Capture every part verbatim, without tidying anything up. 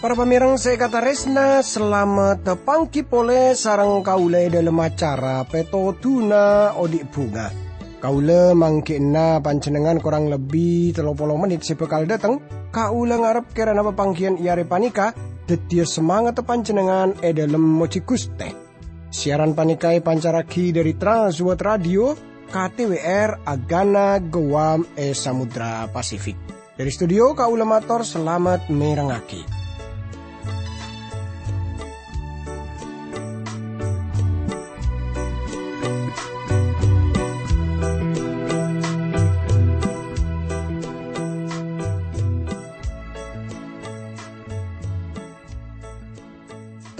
Para pamèreng sè èkatarèsna, salamet pangghi polè sareng kaulâ è dhâlem acara Pètodhuna Odi' Bhunga. Kaulâ mangghi'ânna panjhennengngan korang lebbi tello polo mennit sè bhâkal dâteng. Kaulâ ngarep kèrana papangghiyân è arè panèka dhâddhiyâ samangatta panjhennengngan è dhâlem mojhi Ghustè. Siaran panèka èpancarraghi dhâri Trans World Radio, K T W R, Agana, Guam, è Samudra Pasifik. Dhâri studio, kaulâ mator salamet mèrengngaghi.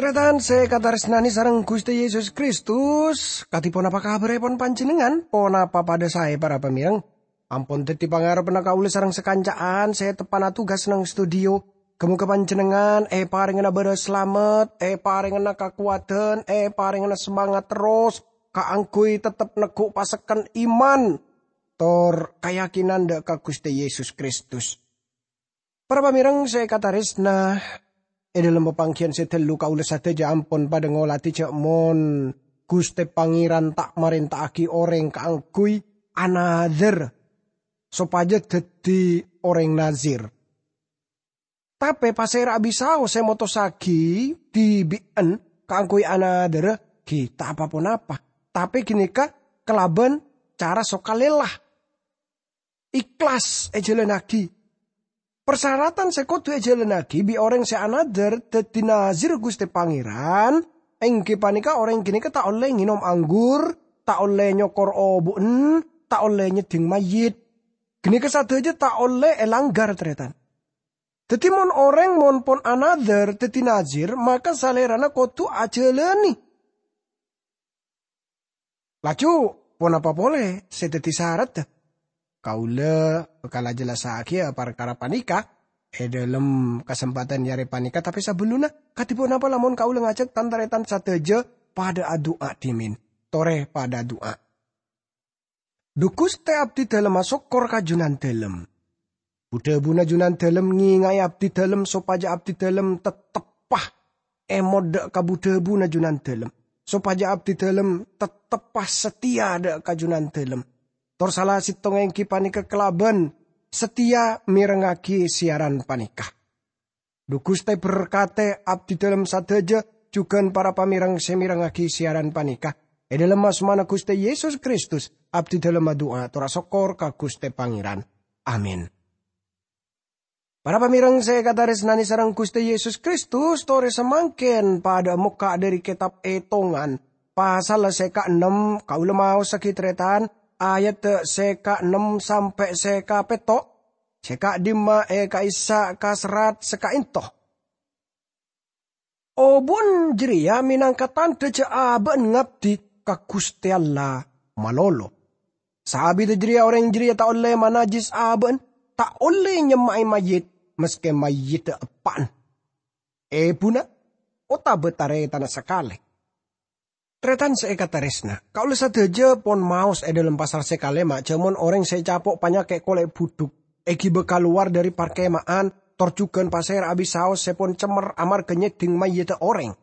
Tarètan sè èkatarèsnanè sareng Ghustè Yesus Kristus, kadhi ponapa kabhârèpon panjhennengngan? Ponapa padhâ saè, para pamèreng? Ampon dhâddhi pangarebbhânna kaulâ sareng sakanca'an sè teppa'na tugas neng studio. Ghâ-moghâ panjhennengngan èparèngana bârâs salamet, èparèngana kakowadhân, èparèngana samangat terros kaangghuy tettep neggu' pasekken iman tor kayakinan dhâ' ka Ghustè Yesus Kristus. Para pamèreng sè èkatarèsna, è dhâlem papangghiyân sè dhâllu kaulâ sadhâjâ ampon padhâ ngolatè jhâ' mon Ghustè Pangèran ta' marènta'aghi orèng kaangghuy anadhâr sopajâ dhâddhi orèng Nazir. Tapè pasèra abisaos sè motossaghi dhibi'ân kaangghuy anadhârâ ghi' ta' pa-ponapa, tapè ghânèka kalabân cara sokalèla. Ikhlas èjhâlânnaghi. Parsaratan sè kodhu èjhâlânnaghi bi' orèng sè anadhâr dhâddhi Nazir Ghustè Pangèran, èngghi panèka orèng ghânèka ta' ollè ngènom anggur, ta' ollè nyokor obu'en, ta' ollè nyeddhing mayyit. Ghânèka sadhâjâ ta' ollè èlangghâr, tarètan. Dhâddhi, mon orèng mon pon anadhâr dhâddhi Nazir, maka salèrana kodhu ajhâlânè. Laju, ponapa polè sè dhâddhi saradda? Kaulâ bhâkal ajhellassaghiyâ parkara panèka è dhâlem kasempadhân è arè panèka, tapè sabellunna, kadhi ponapa lamon kaulâ ngajhâk tan-tarètan sadhâjâ padhâ adu'a dhimèn? Torè padhâ adu'a. Dhu Ghustè, abdhidhâlemma sokkor ka Junandhâlem. Bu-dhâbuna Junandhâlem ngènga'è abdhidhâlem sopajâ abdhidhâlem tetteppa èmot dhâ' ka bu-dhâbuna Junandhâlem, sopajâ abdhidhâlem tetteppa sateya dhâ' ka Junandhâlem. Tor sala sèttongnga èngghi panèka kalabân sateya mèrengngaghi siaran panèka. Dhu Ghustè, berkatè abdhidhâlem sadhâjâ jhughân para pamèreng sè mèrengngaghi siaran panèka. È dhâlem asmana Ghustè Yesus Kristus, abdhidhâlem adu'a tor asokkor ka Ghustè Pangèran. Amin. Para pamèreng sè èkatarèsnanè sareng Ghustè Yesus Kristus, torè samangkèn padhâ mokka' dhâri Kètab Ètongan, pasal sè kaennem, kaulâ maossaghi tarètan, ayat sè kaennem sampè' sè kapètto'. Sè ka'dimma è ka'issa' ka serrat sè ka'ènto. Obu'en jârèya mènangka tandhâ jhâ' abâ'en ngabdi ka Ghustè Allah malolo. Saabiddhâ jârèya orèng jârèya ta' ollè manajjis abâ'en, ta' ollè nyemma'è mayyit, maskè mayyiddhâ eppa'en, èbuna, otabâ tarètanna sakalè. Tarètan sè èkatarèsna, kaulâ sadhâjâ pon maos è dhâlem pasal sè kalèma', jhâ' mon orèng sè ècapo' panyakè' kolè' budhuk èghibâ kalowar dhâri parkèma'an, tor jhughân pasèra abisaos sè pon cemmer amarghâ nyeddhing mayyiddhâ orèng.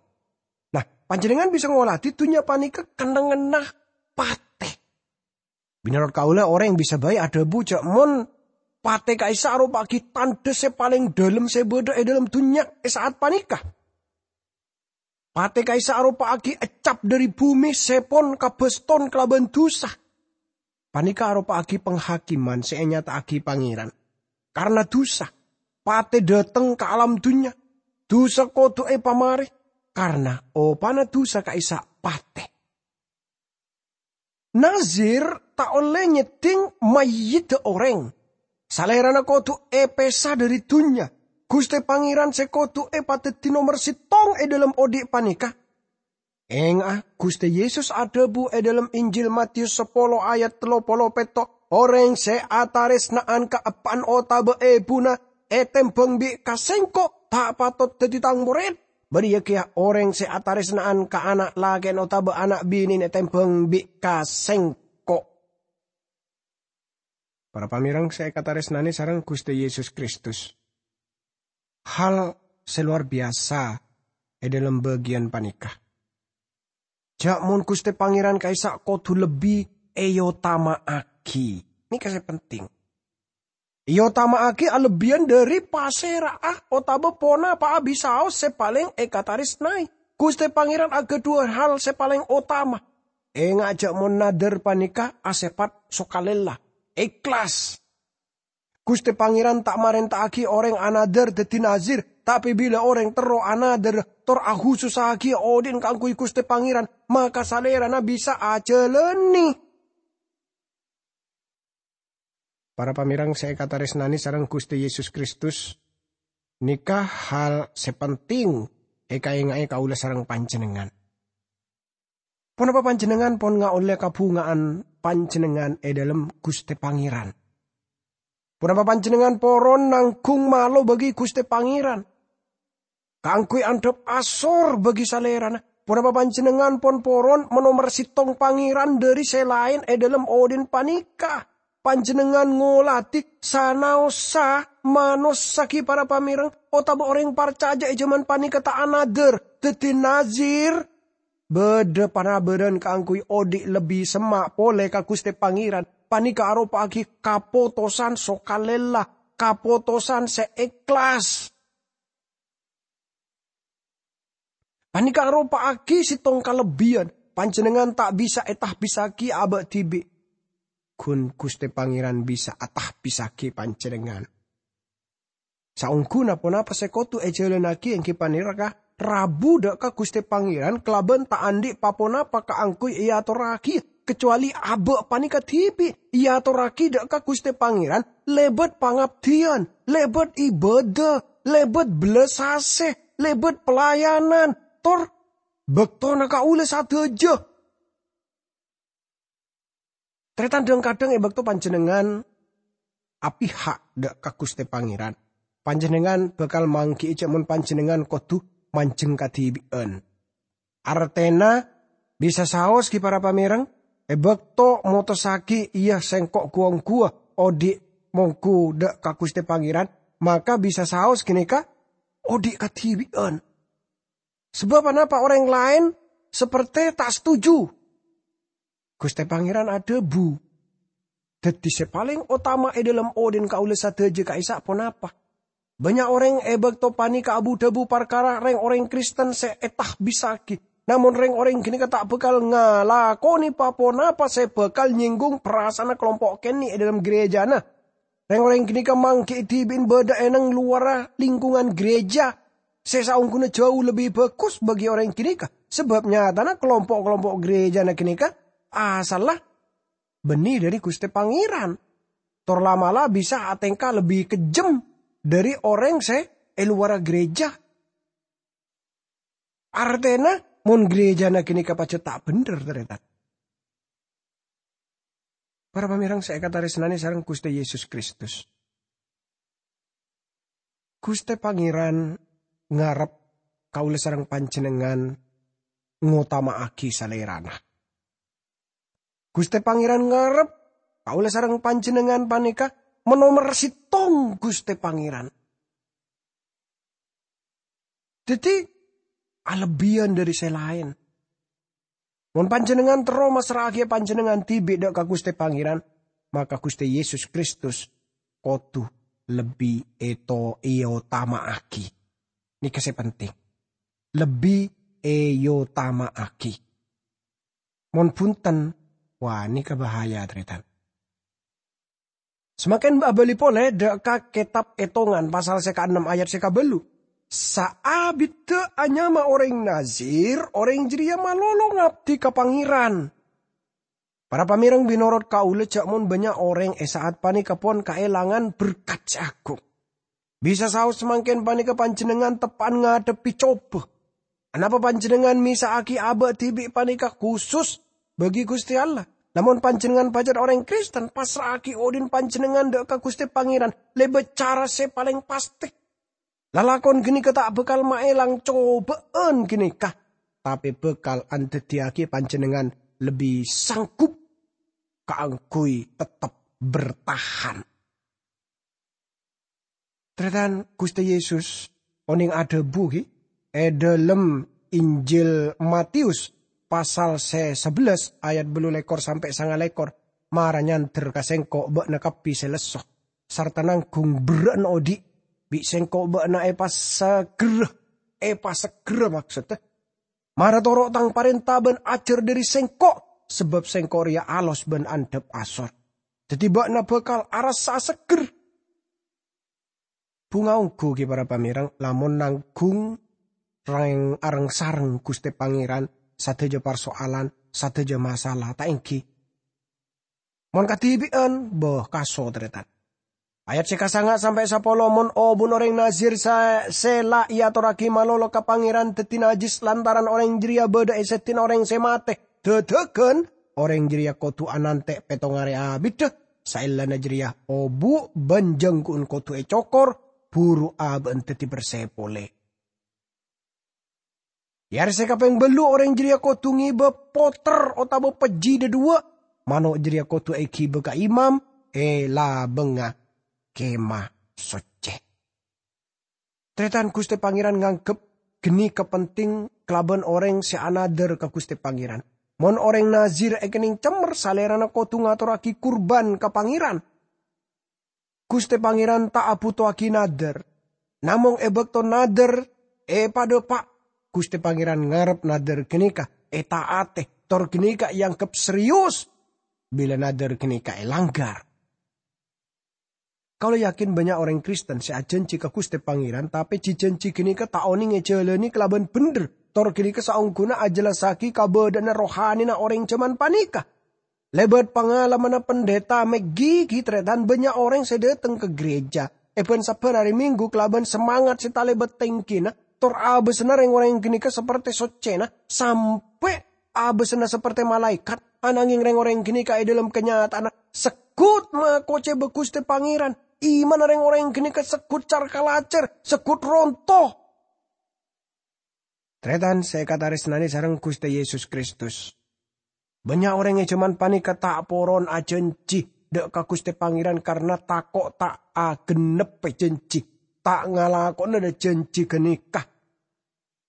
Nah, panjhennengngan bisa ngolatè dhunnya panèka kennengnganna patè. Mènorot kaulâ, orèng bisa bhâi adhâbu jhâ' mon patè ka'issa' aropa'aghi tandhâ sè palèng dhâlem sè bâdâ è dhâlem dhunnya è sa'at panèka. Patè ka'issa' aropa'aghi eccap dhâri bhumè sè pon kabâston kalabân dhusa. Panèka aropa'aghi panghakèman sè ènyata'aghi Pangèran. Karna dhusa, patè dâteng ka alam dhunnya. Dhusa kodhu èpamarè, karna opana dhusa ka'issa' patè. Nazir ta' ollè nyeddhing mayyiddhâ orèng. Salèrana kodhu èpèsa dhâri dhunnya. Ghustè Pangèran sè kodhu èpadhâddhi nomer sèttong è dhâlem odi' panèka. Ènga'a, Ghustè Yesus adhâbu è dhâlem Injil Matius sapolo ayat tello polo pètto', "Orèng sè atarèsna'an ka eppa'en otabâ èbuna ètèmbhâng bi' ka Sèngko' ta' patot dhâddhi Tang morèd." Bâriyâ kèya orèng sè atarèsna'an ka ana' lakè'na otabâ ana' binèna ètembhâng bi' ka Sèngko'. Para pamèreng sè èkatarèsnanè sareng Ghustè Yesus Kristus, hal sè lowar biyasa è dhâlem bâgiyân panèka. Jhâ' mon Ghustè Pangèran ka'issa' kodhu lebbi èotama'aghi. Nèka sè penting. Èotama'aghi alebbiyân dhâri pasèra'a otabâ ponapa'a bisaos sè palèng èkatarèsnaè. Ghustè Pangèran aghâdhuwâ hal sè palèng otama. Enga' jhâ' mon nadhâr panèka asèpat sokalèla, èhlas. Ghustè Pangèran ta' marènta'aghi orèng anadhâr dhâddhi nazir, tapè bilâ orèng terro anadhâr tor ahusussaghi odi'na kaangghuy Ghustè Pangèran, maka salèrana bisa ajhâlânè. Para pamèreng sè èkatarèsnanè sareng Ghustè Yesus Kristus, nèka hal sè penting èkaènga'è kaulâ sareng panjhennengngan. Ponapa panjhennengngan pon ngaollè kabhunga'an panjhennengngan è dhâlem Ghustè Pangèran? Ponapa panjhennengngan poron nangghung malo bâgi Ghustè Pangèran? Kaangghuy andhâp asor bâgi salèrana, ponapa panjhennengngan pon poron manomer sèttong Pangèran dhâri sè laèn è dhâlem odi'na panèka? Panjhennengngan ngolatè sanaossa manossa ghi para pamèreng otabâ orèng parcajâ è jhâman panèka ta' anadhâr dhâddhi nazir. Bâdâ panabârân kaangghuy odi' lebbi semma' polè ka Ghustè Pangèran. Panèka aropa'aghi kapotosan sokalèla, kapotosan sè èhlas. Panèka aropa'aghi sèttong kalebbiyân, panjhennengngan ta' bisa ètahbissaghi abâ' dhibi'. Ghun Ghustè Pangèran bisa atahbissaghi panjhennengngan. Saongghuna ponapa sè kodhu èjhâlânnaghi èngghi panèka rabu dâ' ka Ghustè Pangèran kalabân ta' andhi' pa-ponapa kaangghuy èatorraghi, kacowalè abâ' panèka dhibi' èatorraghi dâ' ka Ghustè Pangèran lèbât pangabdiyân, lèbât ibâdâ, lèbât bellasasè, lèbât pelayanan, tor bâktona kaulâ sadhâjâ. Tarètan, dhâng-kadhâng è bâkto panjhennengngan apiha' dâ' ka Ghustè Pangèran, panjhennengngan bhâkal mangghi'i jhâ' mon panjhennengngan kodhu manjheng kadhibi'ân. Artèna, bisa saos ghi para pamèreng, è bâkto motossaghi iyâ sèngko' ghu-ongghuwâ odi' mongghu dâ' ka Ghustè Pangèran, maka bisa saos ghânèka odi' kadhibi'ân. Sabâb anapa orèng laèn saperte ta' setuju? Ghustè Pangèran adhâbu, "Dhâddhi sè palèng otama è dhâlem odi'na kaulâ sadhâjâ ka'issa' ponapa?" Bânnya' orèng è bâkto panèka abu-dhâbu parkara rèng-orèng Kristen sè ètahbissaghi. Namong rèng-orèng ghânèka ta' bhâkal ngalakonè pa-ponapa sè bhâkal nyènggung parasaanna kalompo' kènè' è dhâlem ghârèjâna. Rèng-orèng ghânèka mangghi'i dhibi'na bâdâ è nang lowarra lingkungan ghârèjâ sè saongghuna jhâu lebbi bhâghus bagi orèng ghânèka, sabâb nyatana kalompo'-kalompo' ghârèjâna ghânèka asalla bânnè dhâri Ghustè Pangèran, tor la'-mala' bisa atèngka lebbi kejjhem dhâri orèng sè è lowarra ghârèjâ. Artèna, mon ghârèjâna ghânèka pajhât ta' bhendher, tarètan. Para pamèreng sè èkatarèsnanè sareng Ghustè Yesus Kristus, Ghustè Pangèran ngarep kaulâ sareng panjhennengngan ngotama'aghi Salèrana. Ghustè Pangèran ngarep kaulâ sareng panjhennengngan panèka manomer sèttong Ghustè Pangèran. Dhâddhi, alebbiyân dhâri sè laèn. Mon panjhennengngan terro massra'aghiyâ panjhennengngan dhibi' dâ' ka Ghustè Pangèran, maka Ghustè Yesus Kristus kodhu lebbi èto-, èotama'aghi. Nèka sè penting. Lebbi èotama'aghi. Mon bhunten, wah, nèka bahaya, tarètan. Samangkèn abâli polè dâ' ka Kètab Ètongan pasal sè kaennem ayat sè kabâllu'. Saabiddhâ anyama orèng Nazir, orèng jârèya malolo ngabdi ka Pangèran. Para pamèreng, mènorot kaulâ jhâ' mon bânnya' orèng è sa'at panèka pon kaèlangan berkat sè aghung. Bisa saos samangkèn panèka panjhennengngan teppa'an ngadhebbhi cobâ. Anapa panjhennengngan mèsa'aghi abâ' dhibi' panèka khusus bagi Ghustè Allah? Lamon panjhennengngan pajhât orèng Kristen, passra'aghi odi'na panjhennengngan dâ' ka Ghustè Pangèran lèbât cara sè palèng pastè. Lalakon ganeka ta' bakal maelang coba'an ganeka, tape bakal andaddiyagi panjennengngan lebbi sanggup kaangguy tettep bertahan. Taretan, Guste Yesus oneng adhabu, gi, e dhalem Injil Matius pasal se sabellas ayat ballu lekor sampe' sanga lekor, "Mara nyander ka Sengko' ba'na kabbi se lesso, sarta nanggung berra'na odhi'. Bi' Sengko' ba'na epaseggerra," epaseggerra maksodda, "Mara toro' Tang parenta ban ajar dhari Sengko', sabab Sengko' reya alos ban andhap asor. Daddi ba'na bakal arassa segger." Bunga onggu, gi, para pamereng, lamon nanggung reng-, areng-sareng Guste Pangeran sadaja parsoalan, sadaja masalah, ta' enggi? Mon kadhibi'an, bâh, kaso, taretan. Ayat se kasanga sampe' sapolo, "Mon obuna oreng Nazir sa-, se la eatorragi malolo ka Pangeran daddi najjis lantaran oreng jareya badha e sedina oreng se mate, dadagan oreng jareya kodu anante' pettong are abidda. Saellana jareya obu' ban janggu'en kodu ecokor, buru aba'an daddi berse pole. E are se kapeng ballu oreng jareya kodu ngeba poter otaba pejji dhadhuwa'. Mano' jareya kodu egiba ka imam e labangnga Kemah Socce." Taretan, Guste Pangeran nganggep ganeka penting kalaban oreng se anadar ka Guste Pangeran. Mon oreng Nazir ekenneng cemmer, salerana kodu ngatorragi kurban ka Pangeran. Guste Pangeran ta' abutowagi nadar. Namong e bakto nadar epadhapa', Guste Pangeran ngarep nadar ganeka eta'ate, tor ganeka eanggep serius bila nadar ganeka elanggar. Kaula yakin bannya' oreng Kristen se ajanji ka Guste Pangeran, tape ji-janji ganeka ta' oneng ejalane kalaban bendher, tor ganeka saongguna ajellassagi kabadha'anna rohanina oreng jaman paneka. Lebat pangalamanna Pendeta McGee, gi, taretan, bannya' oreng se dhateng ka gereja e bân-sabbhân are Minggu kalaban semangat se talebat tengkina, tor abasana reng-oreng ganeka saperte soccena, sampe' abasana saperte malaekat, anangeng reng-oreng ganeka e dhalem kanyata'anna seggut makoceba Guste Pangeran. Imanna reng-oreng ganeka seggut car-kalacar, seggut ronto. Taretan se ekataresnane sareng Guste Yesus Kristus, bannya' oreng e jaman paneka ta' poron ajanji dha' ka Guste Pangeran karna tako' ta' agenneppe janji, ta' ngalakona dha-, janji ganeka.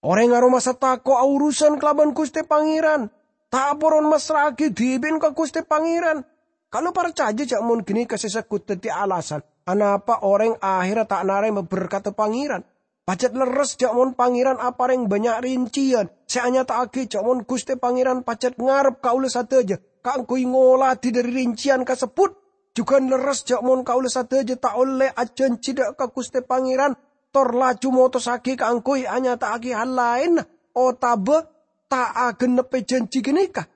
Oreng aromasa tako' aurusan kalaban Guste Pangeran, ta' poron massra'agi dhibi'na ka Guste Pangeran. Kaula parcaja ja' mon ganeka se seggut daddi alasan anapa oreng aherra ta' narema berkadda Pangeran. Pajat lerres ja' mon Pangeran apareng bannya' rinciyan se anyata'agi ja' mon Guste Pangeran pajat ngarep kaula sadaja kaangguy ngoladi dhari rinciyan kasebbut. Jugan lerres ja' mon kaula sadaja ta' olle ajanji dha' ka Guste Pangeran, tor laju motossagi kaangguy anyata'agi hal laenna otaba ta' agenneppe janji ganeka.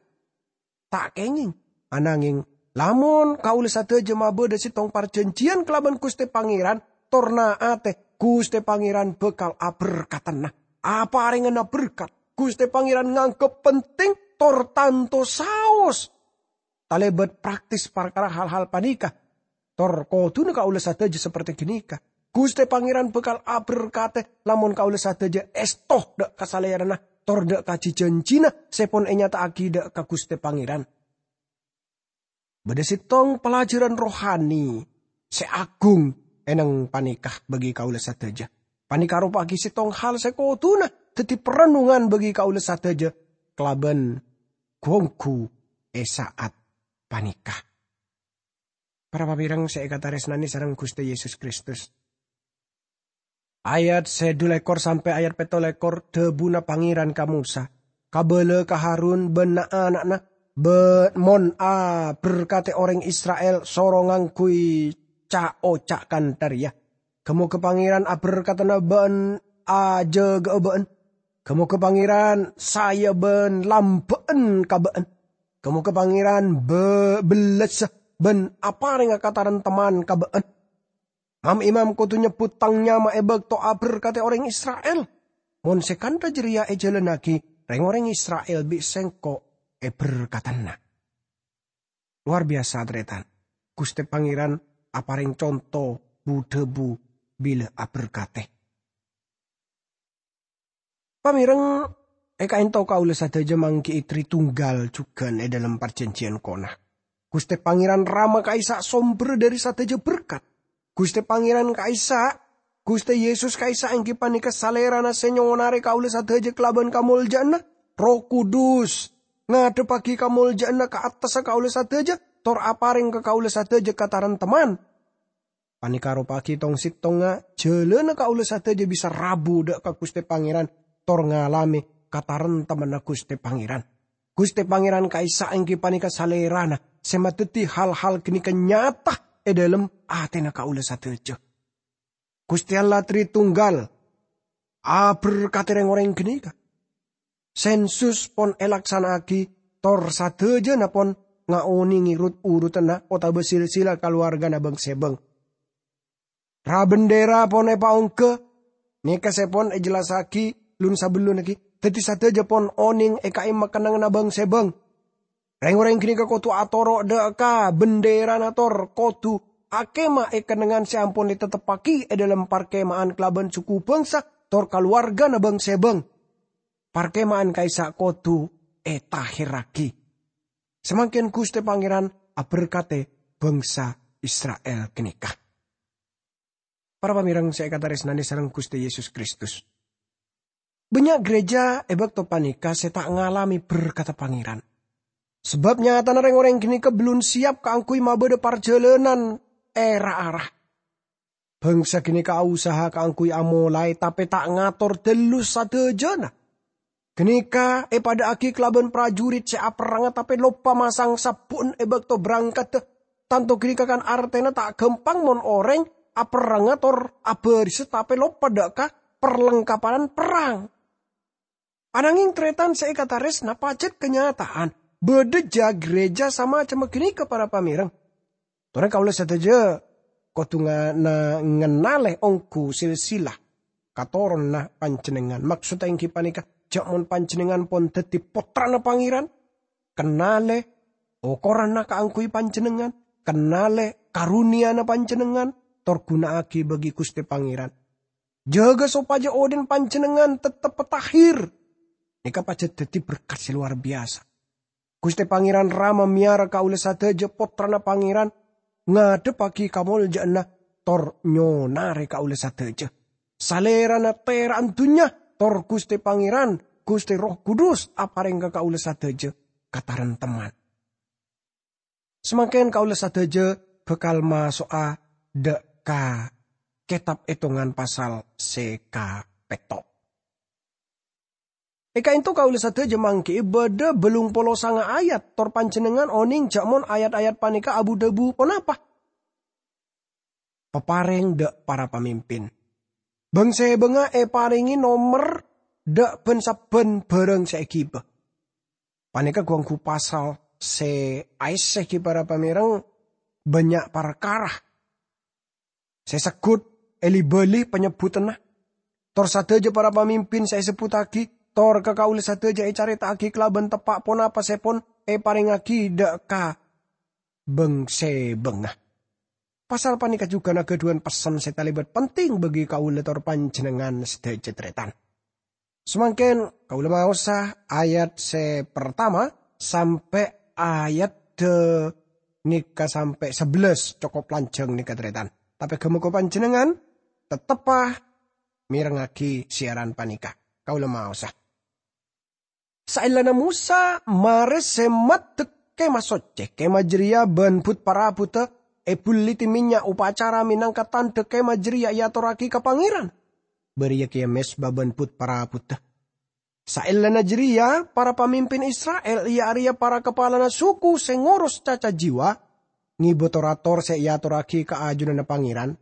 Ta' kengeng, anangeng lamon kaula sadaja mabadha settong parjanjiyan kalaban Guste Pangeran, tor na'ate, Guste Pangeran bakal aberkadana. Aparengana berkat, Guste Pangeran nganggep penting, tor tanto saos talebat praktis parkara hal-hal paneka. Tor koduna kaula sadaja saperte ganeka. Guste Pangeran bakal aberkate lamon kaula sadaja esto dha' ka Salerana, tor dha' ka ji-janjina se pon enyata'agi dha' ka Guste Pangeran. Badha settong pelajaran rohani se agung eneng paneka bagi kaula sadaja. Paneka aropa'agi settong hal se koduna daddi parennungan bagi kaula sadaja kalaban gu-onggu e sa'at paneka. Para pamereng se ekataresnane sareng Guste Yesus Kristus. Ayat se dhu lekor sampe' ayat petto lekor, dhabuna Pangeran ka Mosa, "Kabala ka Harun ban na'-ana'na, ba-, mon aberkate oreng Isra'il, soro ngangguy ca'-oca' kantha reya, 'Ga-moga Pangeran aberkadana ba'an ajaga'a ba'an. Ga-moga Pangeran saya ban lamba'an ka ba'an. Ga-moga Pangeran be-, bellessa ban aparenga kataremtemman ka ba'an. Mam-imam kodu nyebbut Tang nyama e bakto aberkate oreng Isra'il. Mon se kantha jareya ejalannagi, reng-oreng Isra'il bi' Sengko' eberkadana.'" Lowar biyasa, taretan. Guste Pangeran apareng conto bu-dhabu bila aberkate. Pamireng, e ka'ento kaula sadaja manggi'i Tritunggal jugan e dhalem parjanjiyan kona. Guste Pangeran Rama ka'issa' somberra dhari sadaja berkat. Guste Pangeran ka'issa', Guste Yesus ka'issa' enggi paneka Salerana se nyonare kaula sadaja kalaban kamolja'anna. Erroh Kudus ngadhebbagi kamolja'anna ka attassa kaula sadaja, tor apareng ka kaula sadaja kataremtemman. Paneka aropa'agi tong-settongnga jalanna kaula sadaja bisa rabu dha' ka Guste Pangeran, tor ngalame kataremtemmanna Guste Pangeran. Guste Pangeran ka'issa' enggi paneka Salerana se madaddi hal-hal ganeka nyata e dhalem atena kaula sadaja. Guste Allah Tritunggal aberkate reng-oreng ganeka. Sensus pon elaksana'agi, tor sadajana pon ngaonenge rut-urutanna otaba silsila kalowargana bang-sebang. Ra-bendera pon epaongga, neka se pon ejellasagi lun-sabellunna gi, daddi sadaja pon oneng e ka'imma kennengnganna bang-sebang. Reng-oreng ganeka kodu atoro' dha' ka benderana tor kodu akema e kennengngan se ampon eteteppagi e dhalem parkema'an kalaban suku bangsa tor kalowargana bang-sebang. Parkema'an ka'issa' kodu etaherragi. Samangken Guste Pangeran aberkate bangsa Isra'il ganeka. Para pamireng se ekataresnane sareng Guste Yesus Kristus. Bannya' gereja e bakto paneka se ta' ngalame berkadda Pangeran. Sabab nyatana reng-oreng ganeka bellun siyap kaangguy mabadha parjalanan e ra-ara. Bangsa ganeka ausaha kaangguy amolae, tape ta' ngator dhallu sadajana. Ganeka epadha'agi kalaban prajurit se aperranga tape loppa masang sabbu'en e bakto berangkadda. Tanto ganeka kan artena ta' gampang mon oreng aperranga tor abarisa tape loppa dha' ka parlengkapan perrang. Anangeng taretan se ekataresna, pajat kanyata'an badha ja-gereja samacemma ganeka, para pamireng. Tore kaula sadaja kodu nga-, na-, ngennale onggu silsila katoronna panjennengngan. Maksodda enggi paneka, ja' mon panjennengngan pon daddi pottrana Pangeran, kennale okoranna kaangguy panjennengngan, kennale karuniyana panjennengngan, tor guna'agi bagi Guste Pangeran. Jaga sopaja odhi'na panjennengngan tettep tahir. Neka pajat daddi berkat se lowar biyasa. Guste Pangeran Rama meyara kaula sadaja, pottrana Pangeran, ngadhebbagi kamolja'anna tor nyonare kaula sadaja. Salerana tera'an dunnya, tor Guste Pangeran, Guste Erroh Kudus apareng ka kaula sadaja kataremtemman. Samangken kaula sadaja bakal maso'a dha' ka Ketab Etongan pasal se kapetto'. E ka'ento kaula sadaja manggi'i badha bellung polo sanga ayat, tor panjennengngan oneng ja' mon ayat-ayat paneka abu-dhabu ponapa? Papareng dha' para pamimpin. Bang-sebangnga eparenge nomer dha' ban-sabban barang se egiba. Paneka gu-onggu pasal se aessegi para pamireng bannya' parkara se seggut eli-bali panyebbutanna. Tor sadaja para pamimpin se esebbuttagi, tor ka kaula sadaja ecareta'agi kalaban teppa' ponapa se pon eparengngagi dha' ka bang-sebangnga. Pasal paneka jugan agadhuwan pessen se talebat penting bagi kaula tor panjennengngan sadaja taretan. Samangken kaula maosa ayat se partama sampe' ayat de-, neka sampe' sabellas, cokop lanjang neka taretan. Tape ga-moga panjennengngan tetteppa mirengngagi siaran paneka. Kaula maosa. Saellana Mosa mare se maddek Kemah Socce, Kemah jareya ban but-parabuta ebulliti mennya' opacara menangka tandha Kemah jareya eatorragi ka Pangeran. Bariya keya mezba ban but-parabuta. Saellana jareya, para pamimpin Isra'il, iya areya para kapalana suku se ngoros caca jiwa, ngeba tor-ator se eatorragi ka ajunanna Pangeran.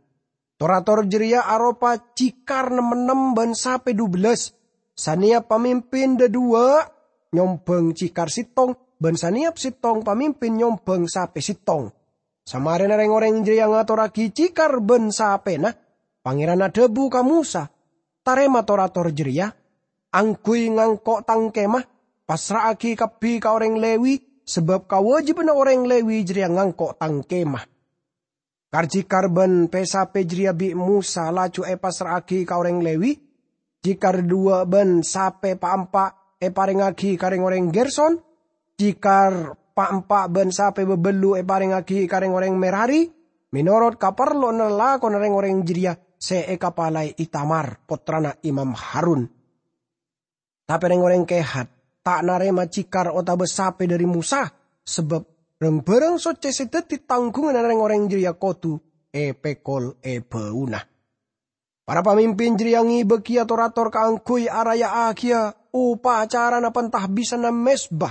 Tor-ator jareya aropa cikar nem-ennem ban sape dubellas. Saneyap pamimpin dhadhuwa' nyombang cikar settong, ban saneyap settong pamimpin nyombang sape settong. Samarena reng-oreng jareya ngatorragi cikar ban sapena, Pangeran adhabu ka Mosa, "Tarema tor-ator jareya, angguy ngangko' tang kemah, passra'agi kabbi ka oreng Lewi, sabab kawajibanna oreng Lewi jareya ngangko' tang kemah." Kar-cikar ban pe-sape jareya bi' Mosa laju epassra'agi ka oreng Lewi, Jikar dhuwâ' bân sapè pa'-empa' èparèngngaghi ka rèng-orèng Gerson, jikar pa'-empa' bân sapè bâbâllu' èparèngngaghi ka rèng-orèng Merari, mènorot kaparlowanna lalakonna rèng-orèng jârèya sè èkapalaè Itamar, pottrana Imam Harun. Tapè rèng-orèng Kehat ta' narèma jikar otabâ sapè dhâri Mosa, sabâb rang-bhârâng soccè sè dhâddhi tangghunganna rèng-orèng jârèya kodhu èpèkol è bâuna. Para pamimpin jârèya ngibâ kèya tor-ator kaangghuy araya'aghiyâ opacarana pentahbisanna mezba.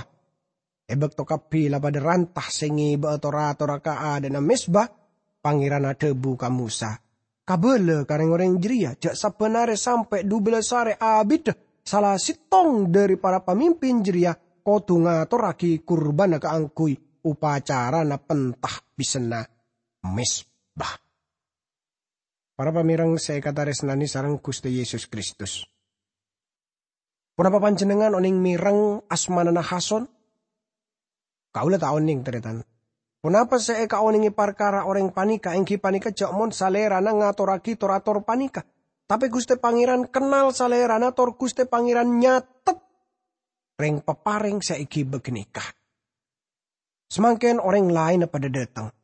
È bâkto kabbhi la padâ ranta sè ngibâ'â tor-atorra ka adâ'na mezba, Pangèran adhâbu ka Mosa, "Kabâlâ ka rèng-orèng jârèya jhâ' sabbhân arè sampè' dhubellas arè abiddhâ sala sèttong dhâri para pamimpin jârèya kodhu ngatorraghi kurbânna kaangghuy opacarana pentahbisanna mezba." Para pamèreng sè èkatarèsnanè sareng Ghustè Yesus Kristus, ponapa panjhennengngan onèng mèreng asmana Nahason? Kaulâ ta' onèng, tarètan. Ponapa sè èkaonèngè parkara orèng panèka, èngghi panèka jhâ' mon salèrana ngatorraghi tor-ator panèka. Tapè Ghustè Pangèran kennal salèrana, tor Ghustè Pangèran nyatet rèng-paparèng sè èghibâ ghânèka. Samangkèn orèng laènna padâ dâteng.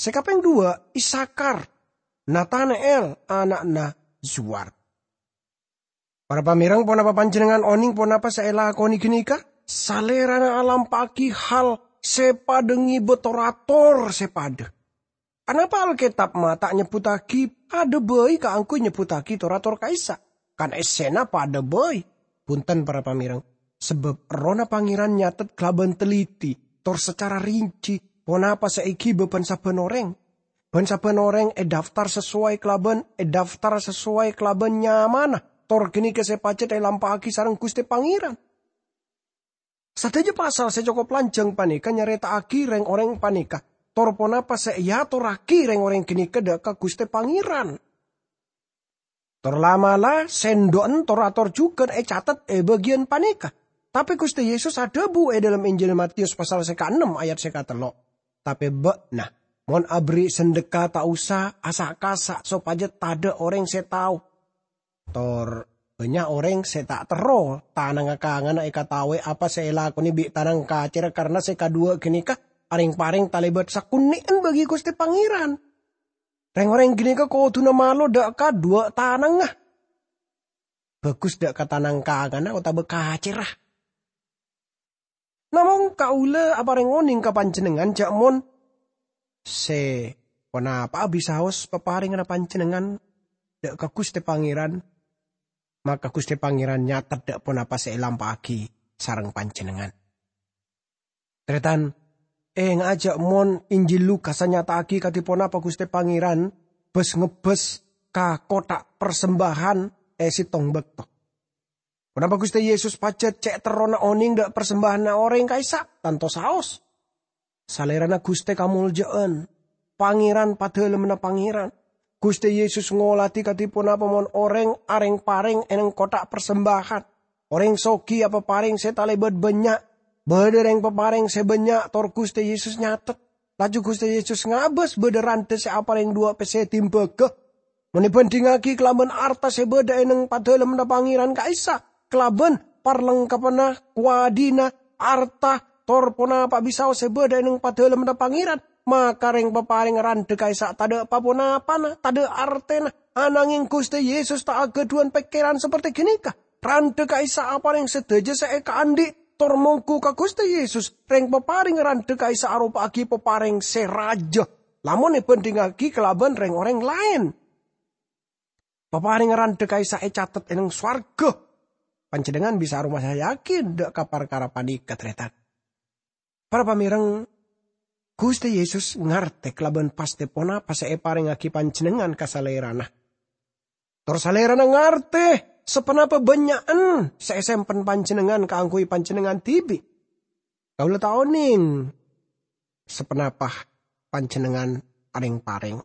Sè kapèng dhuwâ', Isakar, Natana'el ana'na Zuwar. Para pamèreng, ponapa panjhennengngan onèng ponapa sè èlakonè ghânèka? Salèrana alampa'aghi hal sè padâ ngibâ tor-ator sè padâ. Anapa Alkètab ma' ta' nyebbhuttaghi padâ bhâi kaangghuy nyebbhuttaghi tor-ator ka'issa'? Kan essèna padâ bhâi. Bhunten, para pamèreng, sabâb Errohna Pangèran nyatet kalabân teliti, tor sacara rinci, ponapa sè èghibâ bân sabbhân orèng. Bân sabbhân orèng èdaftar sasoway kalabân, èdaftar sasoway kalabân nyamana, tor ghânèka sè pajhât èlampa'aghi sareng Ghustè Pangèran. Sadhâjâ pasal sè cokop lanjhâng panèka nyarèta'aghi rèng-orèng panèka, tor ponapa sè èatorraghi rèng-orèng ghânèka dâ' ka Ghustè Pangèran. Tor la'-mala', sèndhu'ân tor-ator jhughân ècatet è bâgiyân panèka. Tapè Ghustè Yesus adhâbu è dhâlem Injil Matius pasal sè kaennem ayat sè katello', "Tapè bâ'na, mon aberri' sandhekka ta' osa asa'-kasa' sopajâ tadâ' orèng sè tao." Tor bânnya' orèng sè ta' terro tanangnga kanganna èkataowè apa sè èlakonè bi' tanang kacèra, karna sè kadhuwâ' ghânèka arèng-parèng talèbât sakonè'an bagi Ghustè Pangèran. Rèng-orèng ghânèka kodhuna malo dâ' ka dhuwâ' tanangnga. Bhâghus dâ' ka tanang kanganna otabâ kacèra. Namong kaulâ aparèng onèng ka panjhennengngan jhâ' mon sè ponapa'a bisaos paparènganna panjhennengngan dâ' ka Ghustè Pangèran, maka Ghustè Pangèran nyatet dâ' ponapa sè èlampa'aghi sareng panjhennengngan. Tarètan, ènga'a jhâ' mon Injil Lukas anyata'aghi kadhi ponapa Ghustè Pangèran bâs-ngebbhâs ka kottha' parsembahan è sèttong bâkto. Ponapa Ghustè Yesus pajhât cè' terrona onèng dâ' parsembahanna orèng ka'issa'? Tanto saos. Salèrana Ghustè kamoljâ'ân, Pangèran padâlemmanna Pangèran. Ghustè Yesus ngolatè kadhi ponapa mon orèng arèng-parèng è nèng kottha' parsembahan. Orèng soghi apaparèng sè talèbât bânnya'. Bâdâ rèng-paparèng sè bânnya', tor Ghustè Yesus nyatet. Laju Ghustè Yesus ngabâs bâdâ randhâ sè aparèng dhuwâ' pèssè tèmbhâghâ. Mon èbhândhingngaghi kalabân arta sè bâdâ è nèng padâlemmanna Pangèran ka'issa', kalabân parlengkappanna, kowadhina, arta, tor ponapa bisaos sè bâdâ è nèng padâlemmanna Pangèran, maka rèng-paparèng randhâ ka'issa' tadâ' pa-ponapana, tadâ' artèna. Ananghèng Ghustè Yesus ta' aghâdhuwân pèkkèran saperte ghânèka. Randhâ ka'issa' aparèng sadhâjâ sè èkaandhi', tor mongghu ka Ghustè Yesus. Rèng-paparèng randhâ ka'issa' aropa'aghi paparèng sè rajâ, lamon èbhândhingngaghi kalabân rèng-orèng laèn. Paparèngnga randhâ ka'issa' ècatet è nèng sowarghâ. Panjhennengngan bisa aromasa yakin dâ' ka parkara panèka, tarètan. Para pamèreng, Ghustè Yesus ngartè kalabân pastè ponapa sè èparèngngaghi panjhennengngan ka Salèrana. Tor Salèrana ngartè saponapa bânnya'an sè èsempen panjhennengngan kaangghuy panjhennengngan dhibi'. Kaulâ ta' onèng saponapa panjhennengngan arèng-parèng.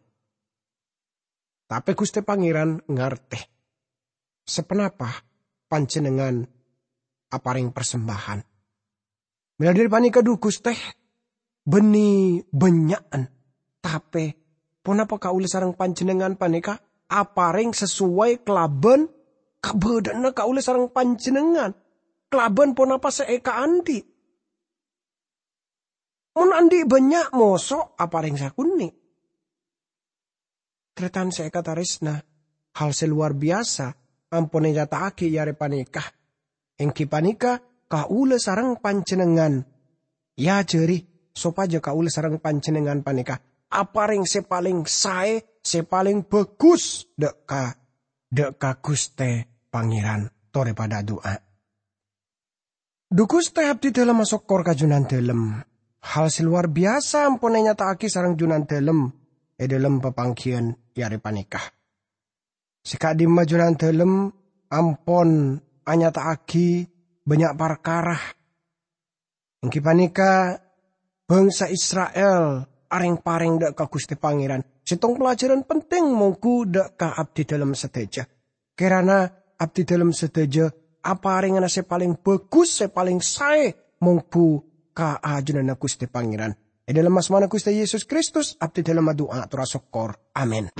Tapè Ghustè Pangèran ngartè saponapa panjhennengngan aparèng parsembahan. Mèla dhâri panèka, dhu Ghustè, bânnè bânnya'an, tapè ponapa kaulâ sareng panjhennengngan panèka aparèng sasoway kalabân kabâdâ'ânna kaulâ sareng panjhennengngan kalabân ponapa sè èkaandi'. Mon andi' bânnya' moso, aparèng sakonè'. Tarètan sè èkatarèsna, hal sè lowar biyasa ampon ènyata'aghi è arè panèka, èngghi panèka kaulâ sareng panjhennengngan èajhâri sopajâ kaulâ sareng panjhennengngan panèka aparèng sè palèng saè, sè palèng bhâghus dâ' ka, dâ' ka Ghustè Pangèran. Torè padâ adu'a. Dhu Ghustè, abdhidhâlem asokkor ka Jhunandhâlem. Hal sè lowar biyasa ampon ènyata'aghi sareng Jhunandhâlem è dhâlem papangghiyân è arè panèka. Sè ka'dimma Jhunandhâlem ampon anyata'aghi bânnya' parkara. Èngghi panèka, bhângsa Isra'il areng-pareng dâ' ka Ghustè Pangèran. Sèttong pelajaran penting mongghu dâ' ka abdhidhâlem sadhâjâ. Kèrana abdhidhâlem sadhâjâ aparèngana sè palèng bhâghus, sè palèng saè mongghu ka ajunanna Ghustè Pangèran. È dhâlem asmana Ghustè Yesus Kristus, abdhidhâlem adu'a ator asokkor. Amin.